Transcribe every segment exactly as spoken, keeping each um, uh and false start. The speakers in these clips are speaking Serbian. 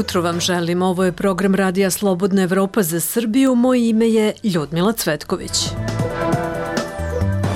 jutro vam želim. Ovo je program Radija Slobodna Evropa za Srbiju. Moje ime je Ljudmila Cvetković.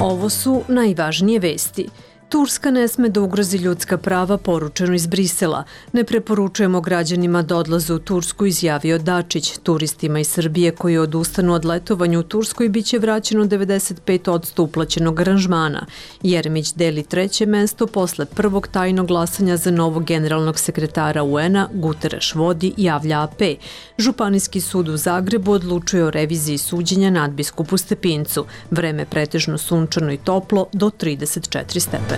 Ovo su najvažnije vesti. Turska ne sme da ugrozi ljudska prava, poručeno iz Brisela. Ne preporučujemo građanima da odlaze u Tursku, izjavio Dačić. Turistima iz Srbije koji odustanu od letovanja u Turskoj biće vraćeno devedeset pet posto uplaćenog aranžmana. Jeremić deli treće mesto posle prvog tajnog glasanja za novog generalnog sekretara U N-a, Guterres vodi, javlja A P. Županijski sud u Zagrebu odlučuje o reviziji suđenja nadbiskupu Stepincu. Vreme pretežno sunčano i toplo do trideset četiri stepena.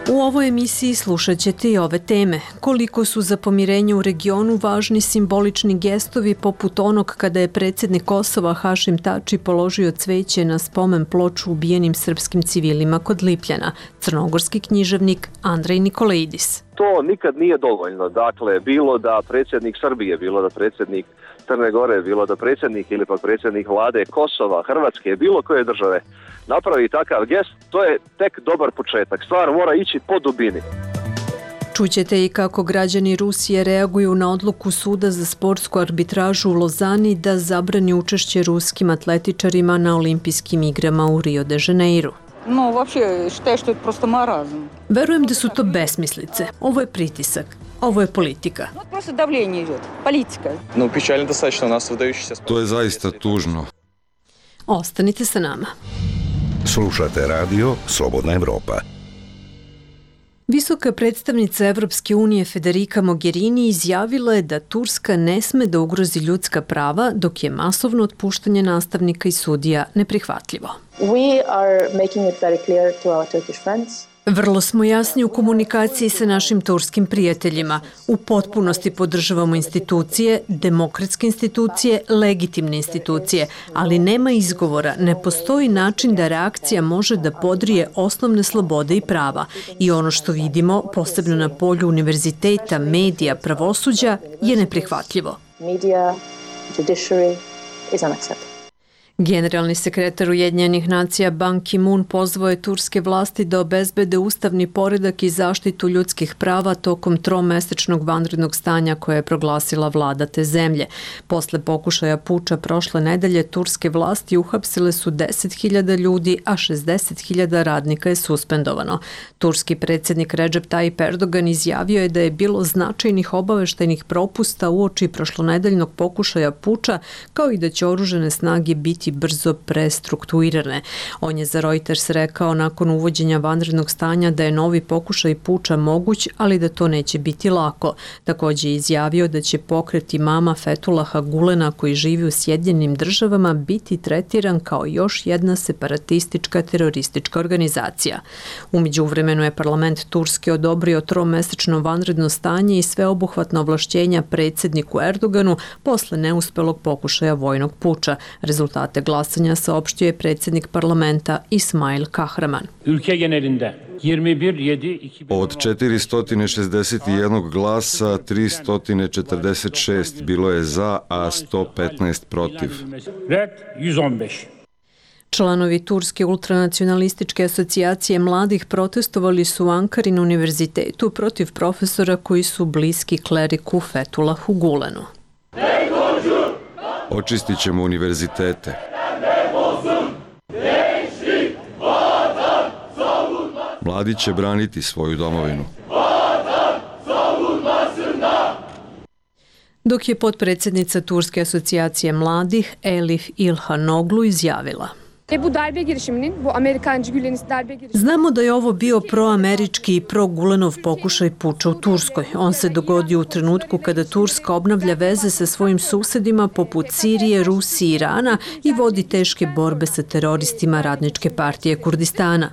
U ovoj emisiji slušat ćete i ove teme. Koliko su za pomirenje u regionu važni simbolični gestovi poput onog kada je predsjednik Kosova Hašim Tači položio cveće na spomen ploču ubijenim srpskim civilima kod Lipljana, crnogorski književnik Andrej Nikolaidis. To nikad nije dovoljno. Dakle, bilo da predsjednik Srbije, bilo da predsjednik Crne Gore, bilo da predsjednik ili pa predsjednik vlade Kosova, Hrvatske, bilo koje države napravi takav gest, to je tek dobar početak. Stvar mora ići po dubini. Čućete i kako građani Rusije reaguju na odluku Suda za sportsku arbitražu u Lozani da zabrani učešće ruskim atletičarima na olimpijskim igrama u Rio de Janeiru. No, вообще, считаю, что это просто маразм. Verujem da su to besmislice. Ovo je pritisak. Ovo je politika. Вот просто давление идет. Политика. Ну, печально достаточно у нас выдающийся спорт. To je zaista tužno. Ostanite sa nama. Slušate radio Slobodna Evropa. Visoka predstavnica Evropske unije Federica Mogherini izjavila je da Turska ne sme da ugrozi ljudska prava, dok je masovno otpuštanje nastavnika i sudija neprihvatljivo. We are making it very clear to our Turkish friends. Vrlo smo jasni u komunikaciji sa našim turskim prijateljima. U potpunosti podržavamo institucije, demokratske institucije, legitimne institucije, ali nema izgovora, ne postoji način da reakcija može da podrije osnovne slobode i prava. I ono što vidimo, posebno na polju univerziteta, medija, pravosuđa, je neprihvatljivo. Media, judiciary is unacceptable. Generalni sekretar Ujedinjenih nacija Ban Ki-moon pozvao je turske vlasti da obezbede ustavni poredak i zaštitu ljudskih prava tokom tromesečnog vanrednog stanja koje je proglasila vlada te zemlje. Posle pokušaja puča prošle nedelje, turske vlasti uhapsile su deset hiljada ljudi, a šezdeset hiljada radnika je suspendovano. Turski predsjednik Recep Tayyip Erdogan izjavio je da je bilo značajnih obaveštajnih propusta uoči prošlonedeljnog pokušaja puča, kao i da će oružane snage biti brzo prestrukturirane. On je za Reuters rekao nakon uvođenja vanrednog stanja da je novi pokušaj puča moguć, ali da to neće biti lako. Također je izjavio da će pokret imama Fetulaha Gulena koji živi u Sjedinjenim državama biti tretiran kao još jedna separatistička teroristička organizacija. U međuvremenu je parlament Turske odobrio tromesečno vanredno stanje i sveobuhvatno ovlašćenja predsjedniku Erdoganu posle neuspelog pokušaja vojnog puča. Rezultate glasanja saopštio je predsjednik parlamenta Ismail Kahraman. Od četiristo šezdeset jedan glasa, tristo četrdeset šest bilo je za, a sto petnaest protiv. Članovi Turske ultranacionalističke asocijacije mladih protestovali su u Ankari na univerzitetu protiv profesora koji su bliski kleriku Fethulahu Gulenu. Očistit ćemo univerzitete. Mladi će braniti svoju domovinu. Dok je potpredsjednica Turske asocijacije mladih Elif Ilhanoglu izjavila: Znamo da je ovo bio proamerički i pro-Gulenov pokušaj puča u Turskoj. On se dogodio u trenutku kada Turska obnavlja veze sa svojim susedima poput Sirije, Rusije i Irana i vodi teške borbe sa teroristima Radničke partije Kurdistana.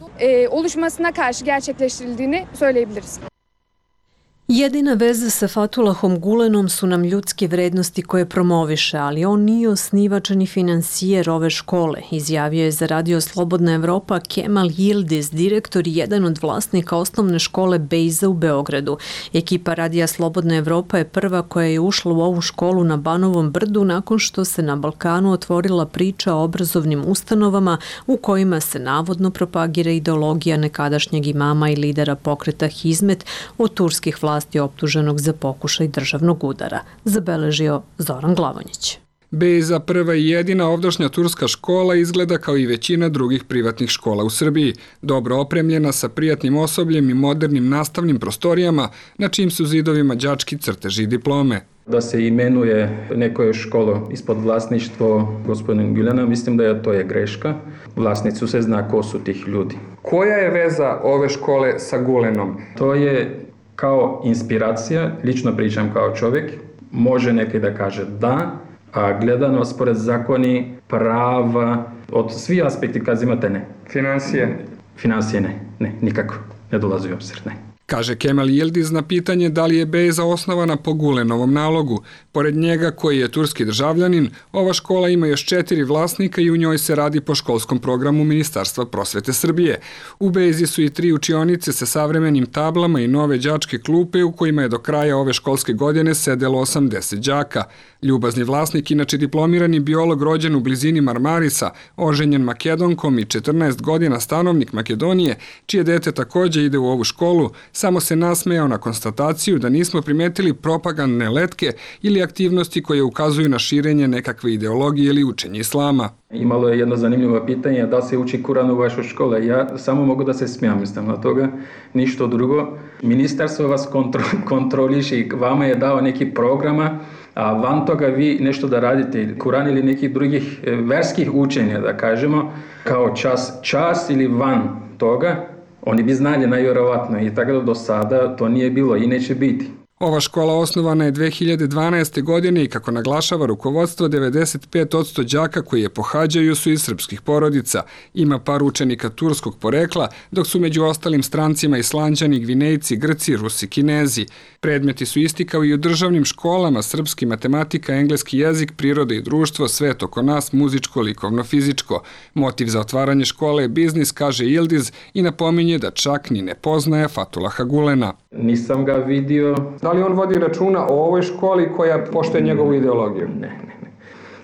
Jedina veza sa Fethulahom Gulenom su nam ljudske vrednosti koje promoviše, ali on nije osnivač ni finansijer ove škole, izjavio je za radio Slobodna Evropa Kemal Yildiz, direktor i jedan od vlasnika osnovne škole Bejza u Beogradu. Ekipa radija Slobodna Evropa je prva koja je ušla u ovu školu na Banovom brdu nakon što se na Balkanu otvorila priča o obrazovnim ustanovama u kojima se navodno propagira ideologija nekadašnjeg imama i lidera pokreta Hizmet od turskih vlasti vlasti optuženog za pokušaj državnog udara, zabeležio Zoran Glavonjić. Bejza, prva i jedina ovdašnja turska škola, izgleda kao i većina drugih privatnih škola u Srbiji, dobro opremljena sa prijatnim osobljem i modernim nastavnim prostorijama, na čijim su zidovima đački crteži i diplome. Da se imenuje neko školo ispod vlasništvo gospodina Gülena, mislim da je to je greška. Vlasnicu se zna ko su tih ljudi. Koja je veza ove škole sa Gülenom? To je kao inspiracija, lično pričam kao čovjek, može neki da kaže da, a gledano spored zakoni, prava, od svih aspekti kad imate ne. Financije? Financije ne, ne, nikako, ne dolazi u obzir, ne. Kaže Kemal Yildiz na pitanje da li je Bejza osnovana po Gülenovom nalogu. Pored njega, koji je turski državljanin, ova škola ima još četiri vlasnika i u njoj se radi po školskom programu Ministarstva prosvete Srbije. U Bejzi su i tri učionice sa savremenim tablama i nove đačke klupe u kojima je do kraja ove školske godine sedelo osamdeset đaka. Ljubazni vlasnik, inače diplomirani biolog rođen u blizini Marmarisa, oženjen Makedonkom i četrnaest godina stanovnik Makedonije, čije dete takođe ide u ovu školu, samo se nasmejao na konstataciju da nismo primetili propagandne letke ili aktivnosti koje ukazuju na širenje nekakve ideologije ili učenje islama. Imalo je jedno zanimljivo pitanje, da se uči Kuran u vašoj školi. Ja samo mogu da se smijam, mislim na toga, ništa drugo. Ministarstvo vas kontro, kontroliši, vama je dao neki programa, a van toga vi nešto da radite, Kuran ili nekih drugih verskih učenja, da kažemo, kao čas, čas ili van toga, oni bi znali najvjerovatno i tako da do sada to nije bilo i neće biti. Ova škola osnovana je dve hiljade dvanaeste. godine i kako naglašava rukovodstvo, devedeset pet posto đaka koji je pohađaju su iz srpskih porodica. Ima par učenika turskog porekla, dok su među ostalim strancima Islanđani, Gvinejci, Grci, Rusi, Kinezi. Predmeti su isti kao i u državnim školama: srpski, matematika, engleski jezik, priroda i društvo, svet oko nas, muzičko, likovno, fizičko. Motiv za otvaranje škole je biznis, kaže Yildiz, i napominje da čak ni ne poznaje Fatulaha Gülena. Nisam ga vidio. Da li on vodi računa o ovoj školi koja poštuje njegovu ideologiju? Ne, ne, ne.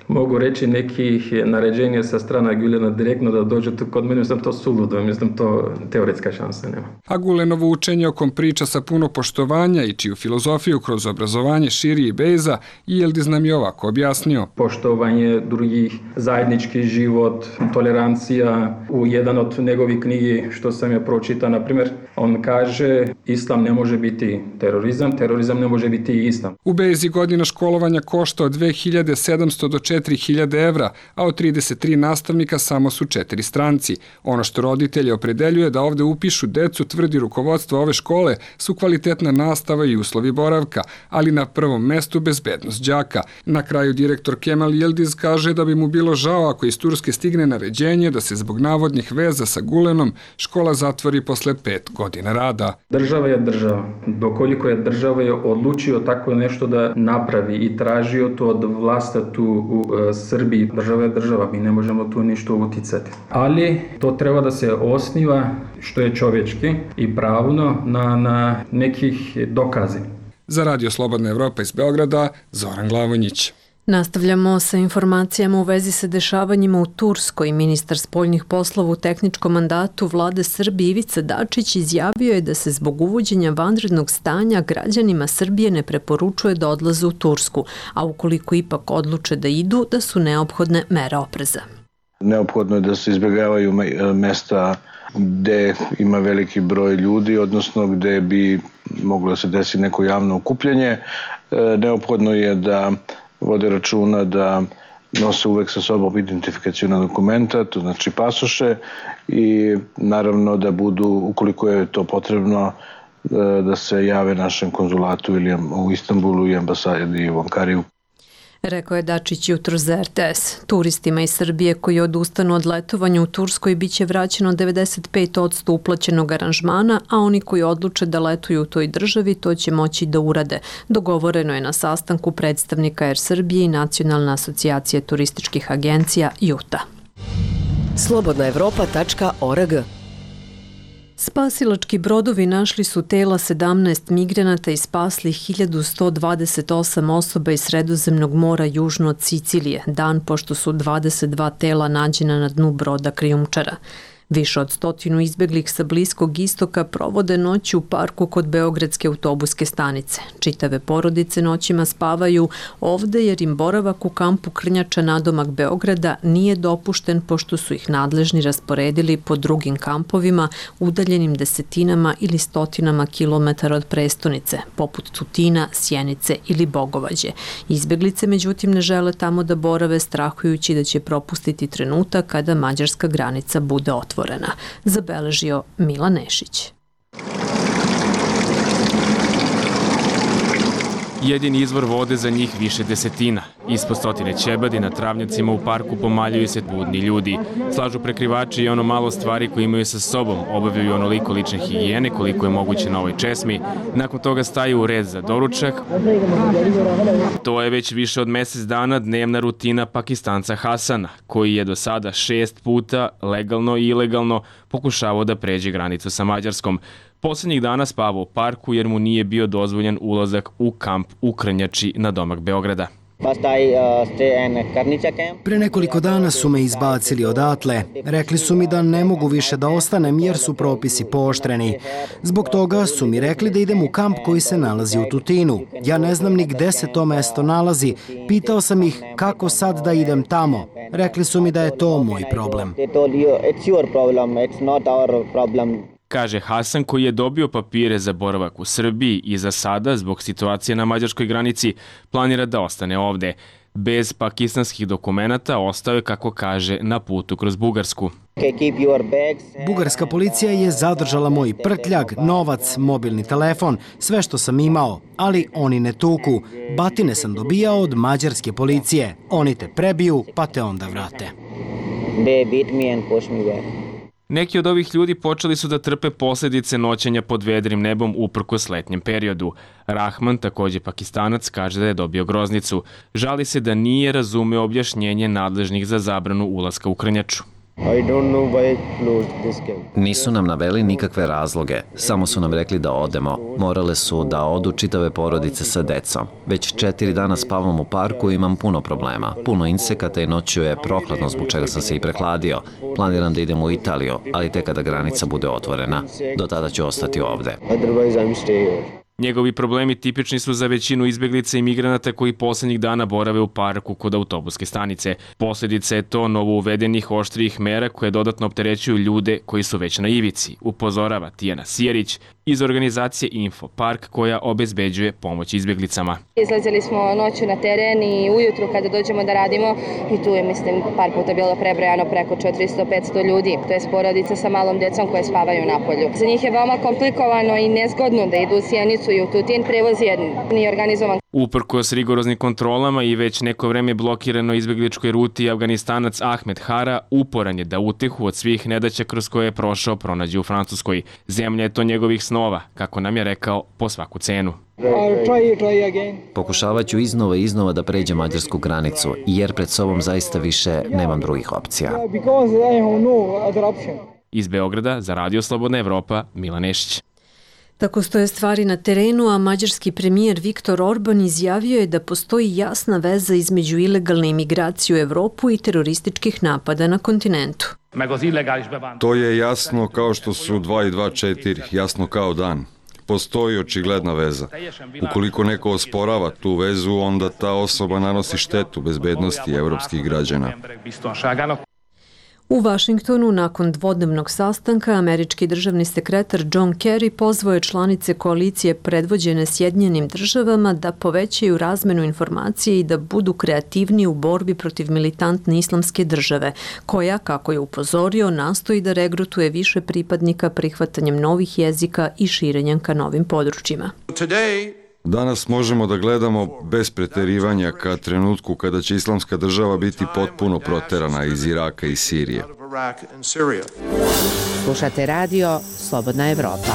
Mogu reći nekih naređenja sa strana Gülena direktno da dođe tu kod mene, mislim to suludo, mislim to teoretska šansa nema. A Gülenovo učenje, o kom priča sa puno poštovanja i čiju filozofiju kroz obrazovanje širi i Bejza, Yildiz nam je ovako objasnio. Poštovanje drugih, zajednički život, tolerancija. U jedan od njegovih knjigi što sam je pročitao, na primjer, on kaže islam ne može biti terorizam, terorizam ne može biti islam. U Bejzi godina školovanja košta od dve hiljade sedamsto do četiri hiljade evra, a od trideset tri nastavnika samo su četiri stranci. Ono što roditelje opredeljuje da ovde upišu decu, tvrdi rukovodstvo ove škole, su kvalitetna nastava i uslovi boravka, ali na prvom mestu bezbednost đaka. Na kraju direktor Kemal Yildiz kaže da bi mu bilo žao ako iz Turske stigne naređenje da se zbog navodnih veza sa Gülenom škola zatvori posle pet godina rada. Država je država. Dokoliko je država je odlučio tako nešto da napravi i tražio to od vlasta tu u Srbiji, država je država, mi ne možemo tu ništa uticati. Ali to treba da se osniva što je čovječki i pravno na, na nekih dokazi. Za Radio Slobodna Evropa iz Beograda, Zoran Glavonjić. Nastavljamo sa informacijama u vezi sa dešavanjima u Turskoj. Ministar spoljnih poslova u tehničkom mandatu vlade Srbije Ivica Dačić izjavio je da se zbog uvođenja vanrednog stanja građanima Srbije ne preporučuje da odlaze u Tursku, a ukoliko ipak odluče da idu, da su neophodne mere opreza. Neophodno je da se izbjegavaju mesta gde ima veliki broj ljudi, odnosno gde bi moglo da se desi neko javno okupljanje. Neophodno je da vode računa da nose uvek sa sobom identifikacijona dokumenta, to znači pasoše, i naravno da budu, ukoliko je to potrebno, da se jave našem konzulatu ili u Istanbulu i ambasadi u Ankariju. Rekao je Dačić jutro za er te es. Turistima iz Srbije koji odustanu od letovanja u Turskoj biće vraćeno devedeset pet posto uplaćenog aranžmana, a oni koji odluče da letuju u toj državi to će moći da urade. Dogovoreno je na sastanku predstavnika Er Srbije i Nacionalne asocijacije turističkih agencija Juta. slobodna evropa tačka org. Spasilački brodovi našli su tela sedamnaest migranata i spasli hiljadu sto dvadeset osam osoba iz Sredozemnog mora južno od Sicilije, dan pošto su dvadeset dva tela nađena na dnu broda krijumčara. Više od stotinu izbeglih sa Bliskog istoka provode noć u parku kod Beogradske autobuske stanice. Čitave porodice noćima spavaju ovde jer im boravak u kampu Krnjača nadomak Beograda nije dopušten pošto su ih nadležni rasporedili po drugim kampovima udaljenim desetinama ili stotinama kilometara od prestonice, poput Tutina, Sjenice ili Bogovađe. Izbeglice međutim ne žele tamo da borave strahujući da će propustiti trenutak kada mađarska granica bude otvorena, zabeležio Milan Nešić. Jedini izvor vode za njih više desetina. Ispod stotine ćebadi na travnjacima u parku pomaljuju se budni ljudi. Slažu prekrivači i ono malo stvari koje imaju sa sobom, obavljaju onoliko lične higijene koliko je moguće na ovoj česmi. Nakon toga staju u red za doručak. To je već više od mesec dana dnevna rutina Pakistanca Hasana, koji je do sada šest puta, legalno i ilegalno, pokušavao da pređe granicu sa Mađarskom. Poslednjih dana spavao u parku jer mu nije bio dozvoljen ulazak u kamp u Krnjači na domak Beograda. Pre nekoliko dana su me izbacili odatle. Rekli su mi da ne mogu više da ostanem jer su propisi pooštreni. Zbog toga su mi rekli da idem u kamp koji se nalazi u Tutinu. Ja ne znam ni gde se to mesto nalazi. Pitao sam ih kako sad da idem tamo. Rekli su mi da je to moj problem. Kaže Hasan, koji je dobio papire za boravak u Srbiji i za sada, zbog situacije na mađarskoj granici, planira da ostane ovde. Bez pakistanskih dokumenata ostao je, kako kaže, na putu kroz Bugarsku. Bugarska policija je zadržala moj prtljag, novac, mobilni telefon, sve što sam imao, ali oni ne tuku. Batine sam dobijao od mađarske policije. Oni te prebiju, pa te onda vrate. Neki od ovih ljudi počeli su da trpe posljedice noćenja pod vedrim nebom uprkos letnjem periodu. Rahman, takođe Pakistanac, kaže da je dobio groznicu. Žali se da nije razumeo objašnjenje nadležnih za zabranu ulaska u Krnjaču. Nisu nam naveli nikakve razloge, samo su nam rekli da odemo. Morale su da odu čitave porodice sa decom. Već četiri dana spavam u parku i imam puno problema. Puno insekata i noću je prohladno zbog čega sam se i prehladio. Planiram da idem u Italiju, ali tek kada granica bude otvorena. Do tada ću ostati ovde. Njegovi problemi tipični su za većinu izbeglica i migranata koji poslednjih dana borave u parku kod autobuske stanice. Posljedica je to novo uvedenih oštrijih mera koje dodatno opterećuju ljude koji su već na ivici, upozorava Tijana Sijerić iz organizacije Info Park koja obezbeđuje pomoć izbjeglicama. Izlazili smo noću na teren i ujutru kada dođemo da radimo i tu je, mislim, par puta bilo prebrojano preko četiristo do petsto ljudi. To je porodice sa malom decom koje spavaju na polju. Za njih je veoma komplikovano i nezgodno da idu u Sjenicu i u Tutin, prevoz je nije organizovan. Uprkos rigoroznim kontrolama i već neko vreme blokirano izbjegličkoj ruti, Afganistanac Ahmed Hara uporan je da utehu od svih nedaća kroz koje je prošao pronađe u Francuskoj. Zemlja je to njegovih snova, kako nam je rekao, po svaku cenu. Pokušavat ću iznova i iznova da pređem mađarsku granicu, jer pred sobom zaista više nemam drugih opcija. Iz Beograda za Radio Slobodna Evropa, Milan Nešić. Tako stoje stvari na terenu, a mađarski premijer Viktor Orban izjavio je da postoji jasna veza između ilegalne imigracije u Evropu i terorističkih napada na kontinentu. To je jasno kao što su dva i dva četiri, jasno kao dan. Postoji očigledna veza. Ukoliko neko osporava tu vezu, onda ta osoba nanosi štetu bezbednosti evropskih građana. U Vašingtonu, nakon dvodnevnog sastanka, američki državni sekretar John Kerry pozvao je članice koalicije predvođene Sjedinjenim državama da povećaju razmenu informacije i da budu kreativniji u borbi protiv militantne islamske države, koja, kako je upozorio, nastoji da regrutuje više pripadnika prihvatanjem novih jezika i širenjem ka novim područjima. Danas možemo da gledamo bez preterivanja ka trenutku kada će islamska država biti potpuno proterana iz Iraka i Sirije. Slušate radio Slobodna Evropa.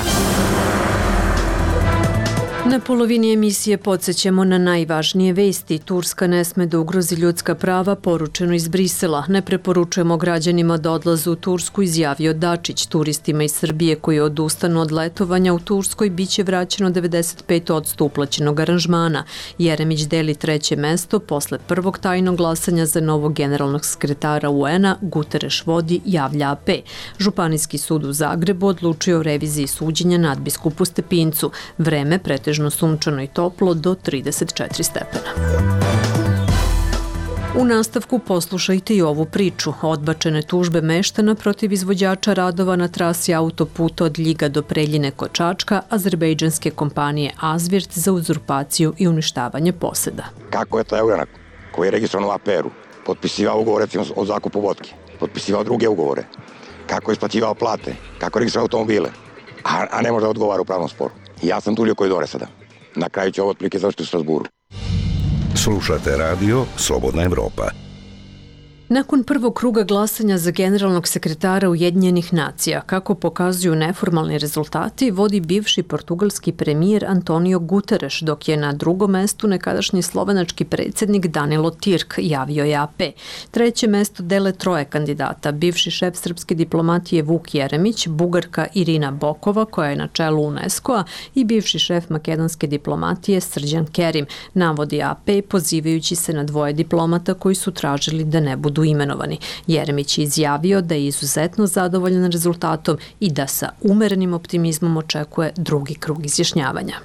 Na polovini emisije podsjećamo na najvažnije vesti. Turska ne sme da ugrozi ljudska prava, poručeno iz Brisela. Ne preporučujemo građanima da odlaze u Tursku, izjavio Dačić. Turistima iz Srbije koji odustanu od letovanja u Turskoj biće vraćeno devedeset pet posto uplaćenog aranžmana. Jeremić deli treće mesto posle prvog tajnog glasanja za novog generalnog sekretara U N-a. Guterres vodi, javlja A P. Županijski sud u Zagrebu odlučio o reviziji suđenja nadbiskupu Stepincu. Vreme pretežno sunčano i toplo do trideset četiri stepena. U nastavku poslušajte i ovu priču. Odbačene tužbe meštana protiv izvođača radova na trasi autoputa od Ljiga do Preljine kod Čačka, azerbejdžanske kompanije Azvirt za uzurpaciju i uništavanje poseda. Kako je to Eurenak, koji je registrovan u A P R-u, potpisivao ugovor recimo o zakupu vodke, potpisivao druge ugovore, kako je isplaćivao plate, kako je registrovao automobile, a, a ne može da odgovara u pravnom sporu. Ja sam Tulio Kojdore sada. Na kraju ću ovo otprilike završiti u Strasburu. Slušate radio Slobodna Evropa. Nakon prvog kruga glasanja za generalnog sekretara Ujedinjenih nacija, kako pokazuju neformalni rezultati, vodi bivši portugalski premijer Antonio Guterres, dok je na drugom mestu nekadašnji slovenački predsjednik Danilo Tirk, javio je A P. Treće mesto dele troje kandidata, bivši šef srpske diplomatije Vuk Jeremić, Bugarka Irina Bokova, koja je na čelu UNESCO-a, i bivši šef makedonske diplomatije Srđan Kerim, navodi A P, pozivajući se na dvoje diplomata koji su tražili da ne budu imenovani. Jeremić je izjavio da je izuzetno zadovoljan rezultatom i da sa umerenim optimizmom očekuje drugi krug izjašnjavanja.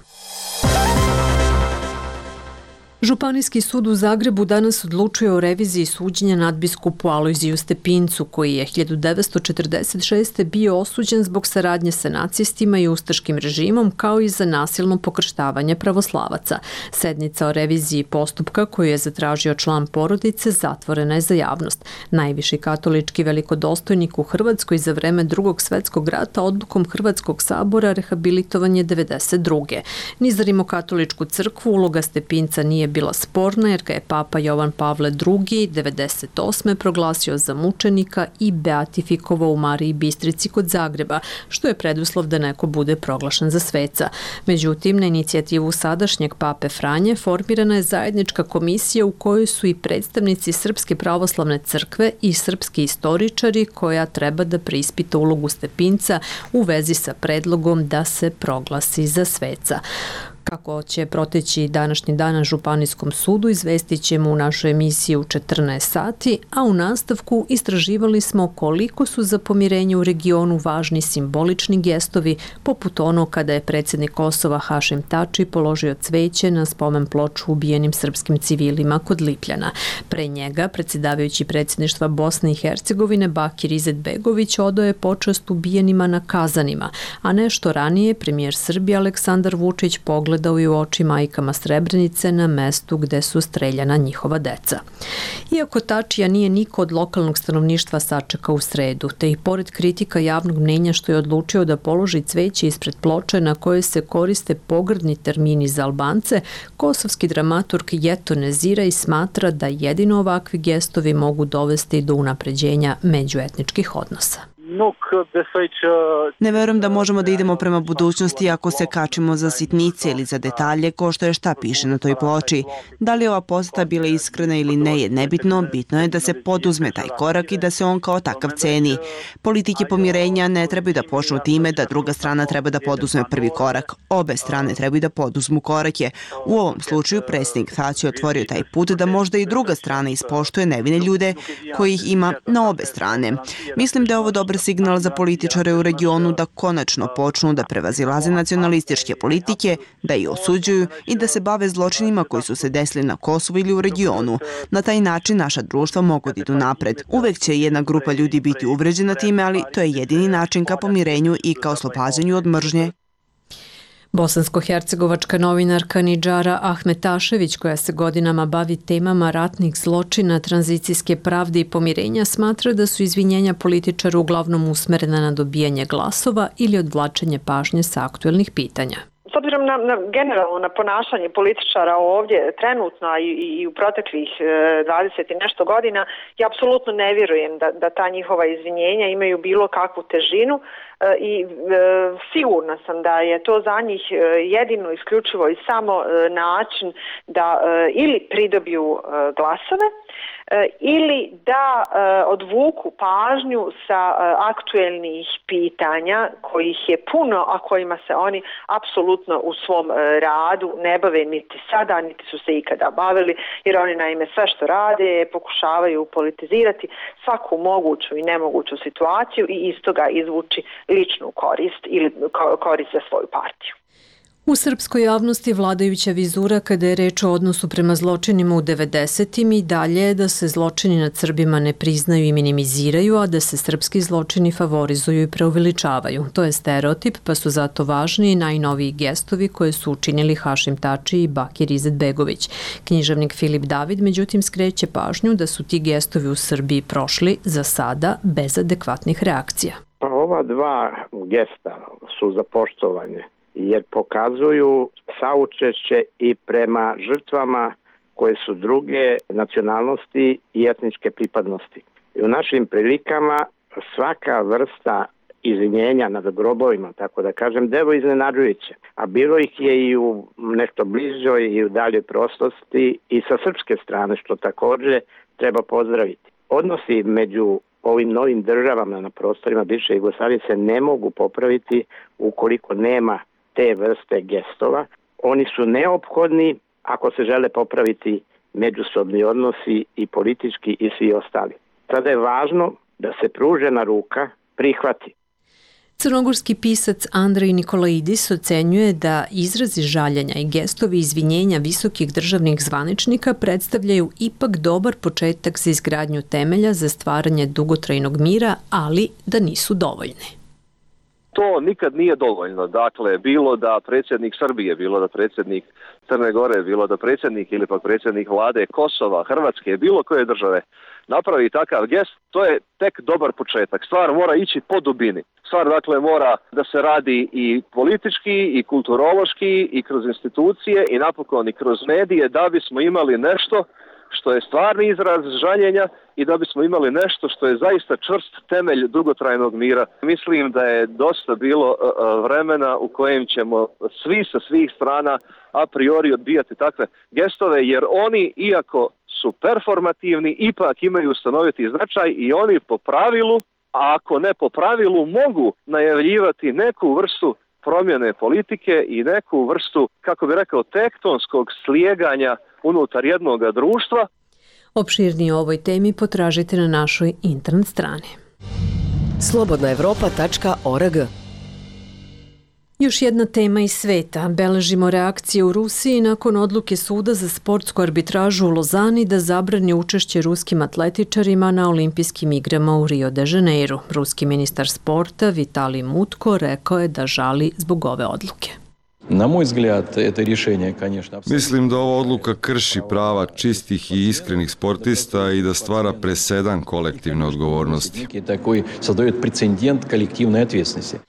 Županijski sud u Zagrebu danas odlučuje o reviziji suđenja nadbiskupu Alojziju Stepincu, koji je hiljadu devetsto četrdeset šeste. bio osuđen zbog saradnje sa nacistima i ustaškim režimom, kao i za nasilno pokrštavanje pravoslavaca. Sednica o reviziji postupka, koju je zatražio član porodice, zatvorena je za javnost. Najviši katolički velikodostojnik u Hrvatskoj za vreme Drugog svetskog rata odlukom Hrvatskog sabora rehabilitovan je devedeset druge. Ni za Rimokatoličku crkvu uloga Stepinca nije bila sporna, jer ga je Papa Jovan Pavle drugi. devedeset osme. proglasio za mučenika i beatifikovao u Mariji Bistrici kod Zagreba, što je preduslov da neko bude proglašen za sveca. Međutim, na inicijativu sadašnjeg Pape Franje formirana je zajednička komisija u kojoj su i predstavnici Srpske pravoslavne crkve i srpski istoričari, koja treba da preispita ulogu Stepinca u vezi sa predlogom da se proglasi za sveca. Kako će proteći današnji dan na Županijskom sudu, izvestit ćemo u našoj emisiji u četrnaest sati, a u nastavku istraživali smo koliko su za pomirenje u regionu važni simbolični gestovi, poput ono kada je predsjednik Kosova Hašim Tači položio cveće na spomen ploču ubijenim srpskim civilima kod Lipljana. Pre njega, predsjedavajući predsjedništva Bosne i Hercegovine Bakir Izetbegović odao je počast ubijenima na Kazanima, a nešto ranije premijer Srbije Aleksandar Vučić pogledao i u oči majkama Srebrenice na mestu gde su streljana njihova deca. Iako Tačija nije niko od lokalnog stanovništva sačekao u sredu, te i pored kritika javnog mnenja što je odlučio da položi cveće ispred ploče na koje se koriste pogrdni termini za Albance, kosovski dramaturg Jeto Nezira i smatra da jedino ovakvi gestovi mogu dovesti do unapređenja međuetničkih odnosa. Ne verujem da možemo da idemo prema budućnosti ako se kačimo za sitnice ili za detalje ko što je šta piše na toj ploči. Da li je ova poseta bila iskrena ili ne je nebitno, bitno je da se poduzme taj korak i da se on kao takav ceni. Politike pomirenja ne trebaju da počnu time da druga strana treba da poduzme prvi korak. Obe strane trebaju da poduzmu korake. U ovom slučaju predsjednik Tači otvorio taj put da možda i druga strana ispoštuje nevine ljude kojih ima na obe strane. Mislim da je ovo dobar signal za političare u regionu da konačno počnu da prevazilaze nacionalističke politike, da ih osuđuju i da se bave zločinima koji su se desili na Kosovu ili u regionu. Na taj način naša društva mogu da idu napred. Uvek će jedna grupa ljudi biti uvređena time, ali to je jedini način ka pomirenju i ka oslobađanju od mržnje. Bosansko-hercegovačka novinarka Nidžara Ahmetašević, koja se godinama bavi temama ratnih zločina, tranzicijske pravde i pomirenja, smatra da su izvinjenja političara uglavnom usmerena na dobijanje glasova ili odvlačenje pažnje sa aktuelnih pitanja. S obzirom na, na generalno na ponašanje političara ovdje trenutno i, i u proteklih dvadeset i nešto godina, ja apsolutno ne vjerujem da, da ta njihova izvinjenja imaju bilo kakvu težinu. i sigurna sam da je to za njih jedino, isključivo i samo način da ili pridobiju glasove ili da odvuku pažnju sa aktuelnih pitanja kojih je puno, a kojima se oni apsolutno u svom radu ne bave niti sada, niti su se ikada bavili, jer oni naime sve što rade pokušavaju politizirati svaku moguću i nemoguću situaciju i iz toga izvući ličnu korist ili korist za svoju partiju. U srpskoj javnosti vladajuća vizura kada je reč o odnosu prema zločinima u devedesetim i dalje je da se zločini nad Srbima ne priznaju i minimiziraju, a da se srpski zločini favorizuju i preuveličavaju. To je stereotip, pa su zato važni i najnoviji gestovi koje su učinili Hašim Tači i Bakir Izetbegović. Književnik Filip David međutim skreće pažnju da su ti gestovi u Srbiji prošli za sada bez adekvatnih reakcija. Pa ova dva gesta su za poštovanje, jer pokazuju saučešće i prema žrtvama koje su druge nacionalnosti i etničke pripadnosti. I u našim prilikama svaka vrsta izvinjenja nad grobovima, tako da kažem, devo iznenađujuće. A bilo ih je i u nešto bližoj i u daljoj prošlosti i sa srpske strane, što također treba pozdraviti. Odnosi među ovim novim državama na prostorima bivše Jugoslavije se ne mogu popraviti ukoliko nema te vrste gestova. Oni su neophodni ako se žele popraviti međusobni odnosi i politički i svi ostali. Sada je važno da se pružena ruka prihvati. Crnogorski pisac Andrej Nikolaidis ocenjuje da izrazi žaljenja i gestovi izvinjenja visokih državnih zvaničnika predstavljaju ipak dobar početak za izgradnju temelja za stvaranje dugotrajnog mira, ali da nisu dovoljni. To nikad nije dovoljno. Dakle, bilo da predsjednik Srbije, bilo da predsjednik Crne Gore, bilo da predsjednik ili pak predsjednik vlade Kosova, Hrvatske, bilo koje države napravi takav gest, to je tek dobar početak. Stvar mora ići po dubini. Stvar, dakle, mora da se radi i politički, i kulturološki, i kroz institucije, i napokon i kroz medije, da bismo imali nešto što je stvarni izraz žaljenja i da bismo imali nešto što je zaista čvrst temelj dugotrajnog mira. Mislim da je dosta bilo vremena u kojem ćemo svi sa svih strana a priori odbijati takve gestove, jer oni, iako su performativni, ipak imaju stanoviti značaj i oni po pravilu, a ako ne po pravilu, mogu najavljivati neku vrstu promjene politike i neku vrstu, kako bi rekao, tektonskog slijeganja unutar jednog društva. Opširnije o ovoj temi potražite na našoj internet strani. slobodna evropa tačka org. Još jedna tema iz sveta. Beležimo reakcije u Rusiji nakon odluke suda za sportsku arbitražu u Lozani da zabrani učešće ruskim atletičarima na olimpijskim igrama u Rio de Janeiru. Ruski ministar sporta Vitalij Mutko rekao je da žali zbog ove odluke. Na moj взгляд, это решение, конечно... Mislim da ova odluka krši prava čistih i iskrenih sportista i da stvara presedan kolektivne odgovornosti. Такой создает прецедент коллективной ответственности.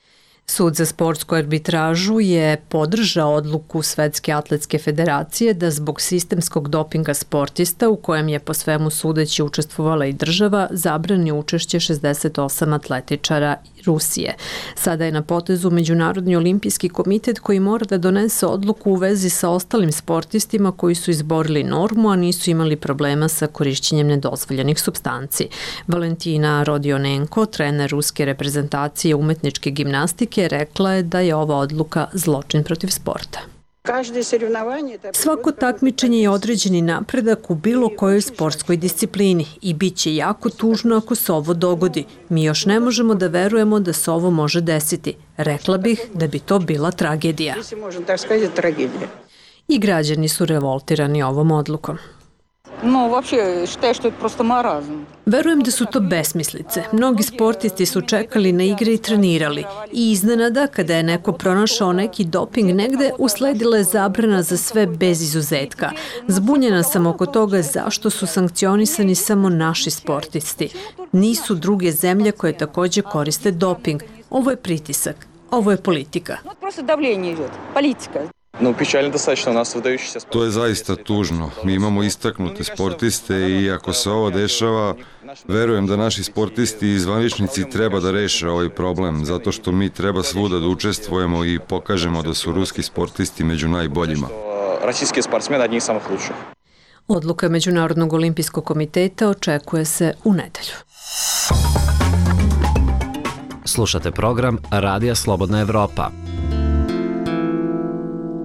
Sud za sportsku arbitražu je podržao odluku Svetske atletske federacije da zbog sistemskog dopinga sportista, u kojem je po svemu sudeći učestvovala i država, zabrani učešće šezdeset osam atletičara Rusije. Sada je na potezu Međunarodni olimpijski komitet koji mora da donese odluku u vezi sa ostalim sportistima koji su izborili normu, a nisu imali problema sa korišćenjem nedozvoljenih supstanci. Valentina Rodionenko, trener ruske reprezentacije umetničke gimnastike, rekla je da je ova odluka zločin protiv sporta. Svako takmičenje je određeni napredak u bilo kojoj sportskoj disciplini i bit će jako tužno ako se ovo dogodi. Mi još ne možemo da verujemo da se ovo može desiti. Rekla bih da bi to bila tragedija. I građani su revoltirani ovom odlukom. No, вообще, считаю, что это просто маразм. Verujem da su to besmislice. Mnogi sportisti su čekali na igre i trenirali. I iznenada, kada je neko pronašao neki doping negde, usledila je zabrana za sve bez izuzetka. Zbunjena sam oko toga zašto su sankcionisani samo naši sportisti. Nisu druge zemlje koje također koriste doping. Ovo je pritisak. Ovo je politika. Просто давление идет. Политика. Ну, печально достаточно, у нас выдающийся спортсмен. To je zaista tužno. Mi imamo istaknute sportiste i ako se ovo dešava, verujem da naši sportisti i zvaničnici treba da reše ovaj problem, zato što mi treba svuda da učestvujemo i pokažemo da su ruski sportisti među najboljima. Российские спортсмены одни из самых лучших. Odluka Međunarodnog olimpijskog komiteta očekuje se u nedelju. Slušate program Radija Slobodna Evropa.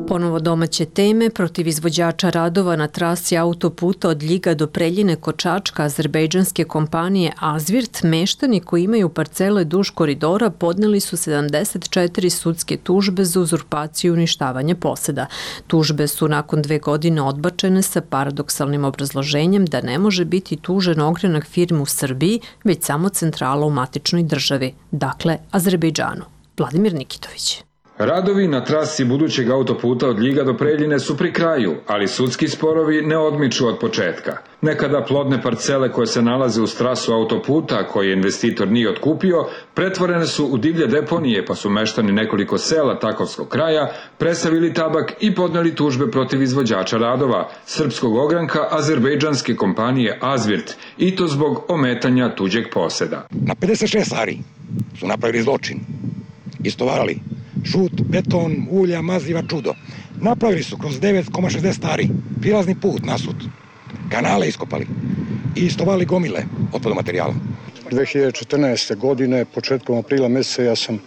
Ponovo domaće teme, protiv izvođača radova na trasi autoputa od Ljiga do Preljine kod Čačka azerbejdžanske kompanije Azvirt, meštani koji imaju parcele duž koridora podneli su sedamdeset četiri sudske tužbe za uzurpaciju i uništavanje poseda. Tužbe su nakon dve godine odbačene sa paradoksalnim obrazloženjem da ne može biti tužen ogranak firme u Srbiji, već samo centrala u matičnoj državi, dakle Azerbejdžanu. Vladimir Nikitović. Radovi na trasi budućeg autoputa od Ljiga do Preljine su pri kraju, ali sudski sporovi ne odmiču od početka. Nekada plodne parcele koje se nalaze uz trasu autoputa, koje investitor nije otkupio, pretvorene su u divlje deponije, pa su meštani nekoliko sela Takovskog kraja presavili tabak i podneli tužbe protiv izvođača radova, srpskog ogranka azerbejdžanske kompanije Azvirt, i to zbog ometanja tuđeg poseda. Na pedeset šest ari su napravili zločin, istovarali žut, beton, ulja, maziva, čudo. Napravili su kroz devet zarez šezdeset ari prilazni put nasut, kanale iskopali i istovali gomile otpadnog materijala. dve hiljade četrnaeste. godine, početkom aprila meseca, ja sam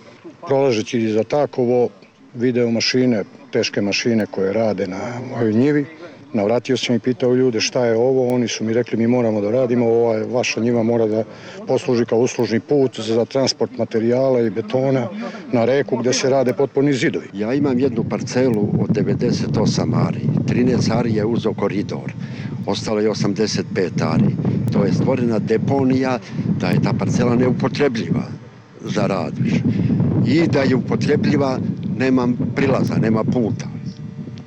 prolažeći za Takovo video mašine, teške mašine koje rade na mojoj njivi. Navratio sam i pitao ljude šta je ovo, oni su mi rekli mi moramo da radimo, ova vaša njiva mora da posluži kao uslužni put za transport materijala i betona na reku gde se rade potporni zidovi. Ja imam jednu parcelu od devedeset osam ari, trinaest ari je uzeo koridor, ostalo je osamdeset pet ari. To je stvorena deponija da je ta parcela neupotrebljiva za rad više. I da je upotrebljiva nema prilaza, nema puta.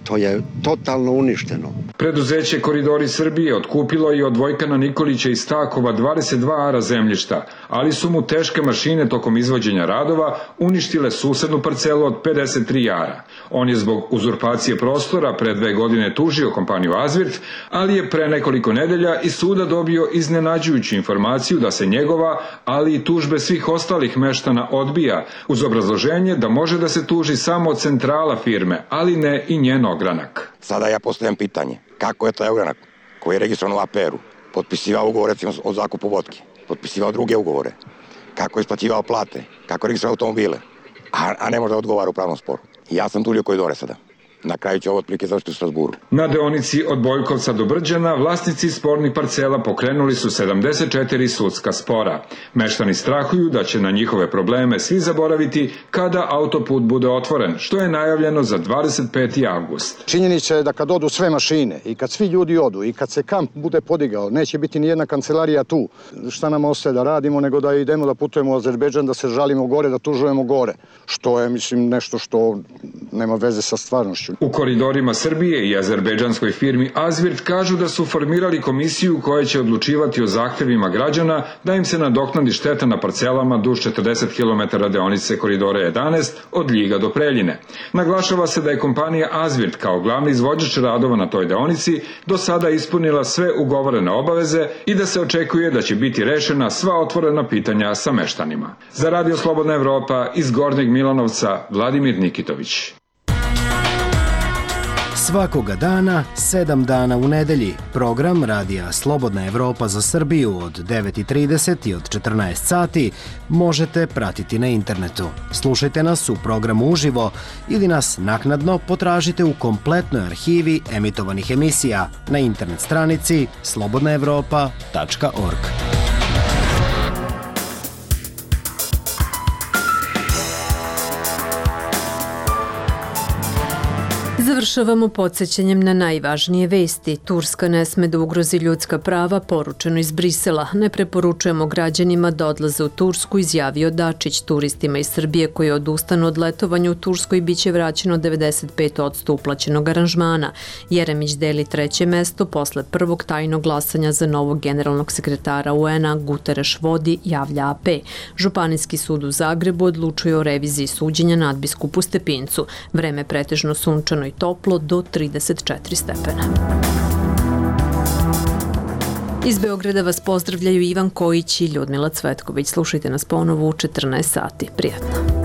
To je totalno uništeno. Preduzeće Koridori Srbije otkupilo je od Vojkana Nikolića iz Stakova dvadeset dva ara zemljišta, ali su mu teške mašine tokom izvođenja radova uništile susednu parcelu od pedeset tri ara. On je zbog uzurpacije prostora pre dve godine tužio kompaniju Azvirt, ali je pre nekoliko nedelja iz suda dobio iznenađujuću informaciju da se njegova, ali i tužbe svih ostalih meštana odbija, uz obrazloženje da može da se tuži samo centrala firme, ali ne i njen ogranak. Sada ja postavljam pitanje, kako je taj ogranak koji je registrovan u A P R-u potpisivao ugovore recimo o zakupu vodke, potpisivao druge ugovore, kako je isplaćivao plate, kako je registrovao automobile, a, a ne može da odgovara u pravnom sporu. Ja sam tulio koridore sada. Na kraju će ovo otprilike završiti u Strasburu. Na deonici od Bojkovca do Brđana vlasnici spornih parcela pokrenuli su sedamdeset četiri sudska spora. Meštani strahuju da će na njihove probleme svi zaboraviti kada autoput bude otvoren, što je najavljeno za dvadeset peti avgust. Činjenica je da kad odu sve mašine i kad svi ljudi odu i kad se kamp bude podigao, neće biti ni jedna kancelarija tu. Šta nam ostaje da radimo nego da idemo da putujemo u Azerbejdžan, da se žalimo gore, da tužujemo gore. Što je, mislim, nešto što nema veze sa stvarnošću. U Koridorima Srbije i azerbejdžanskoj firmi Azvirt kažu da su formirali komisiju koja će odlučivati o zahtevima građana da im se nadoknadi šteta na parcelama duž četrdeset kilometara deonice Koridora jedanaest od Ljiga do Preljine. Naglašava se da je kompanija Azvirt kao glavni izvođač radova na toj deonici do sada ispunila sve ugovorene obaveze i da se očekuje da će biti rešena sva otvorena pitanja sa meštanima. Za Radio Slobodna Evropa iz Gornjeg Milanovca, Vladimir Nikitović. Svakoga dana, sedam dana u nedelji, program Radija Slobodna Evropa za Srbiju od devet i trideset i od četrnaest sati možete pratiti na internetu. Slušajte nas u programu uživo ili nas naknadno potražite u kompletnoj arhivi emitovanih emisija na internet stranici slobodna evropa tačka org. Završavamo podsjećanjem na najvažnije vesti. Turska ne sme da ugrozi ljudska prava, poručeno iz Brisela. Ne preporučujemo građanima da odlaze u Tursku, izjavio Dačić. Turistima iz Srbije koji odustanu od letovanja u Turskoj biće vraćeno devedeset pet posto uplaćenog aranžmana. Jeremić deli treće mesto posle prvog tajnog glasanja za novog generalnog sekretara U N-a, Guterres vodi, javlja A P. Županijski sud u Zagrebu odlučuje o reviziji suđenja nadbiskupu Stepincu. Vreme pretežno sunčano i i toplo do trideset četiri stepena. Iz Beograda vas pozdravljaju Ivan Kojić i Ljudmila Cvetković. Slušajte nas ponovo u četrnaest sati. Prijatno.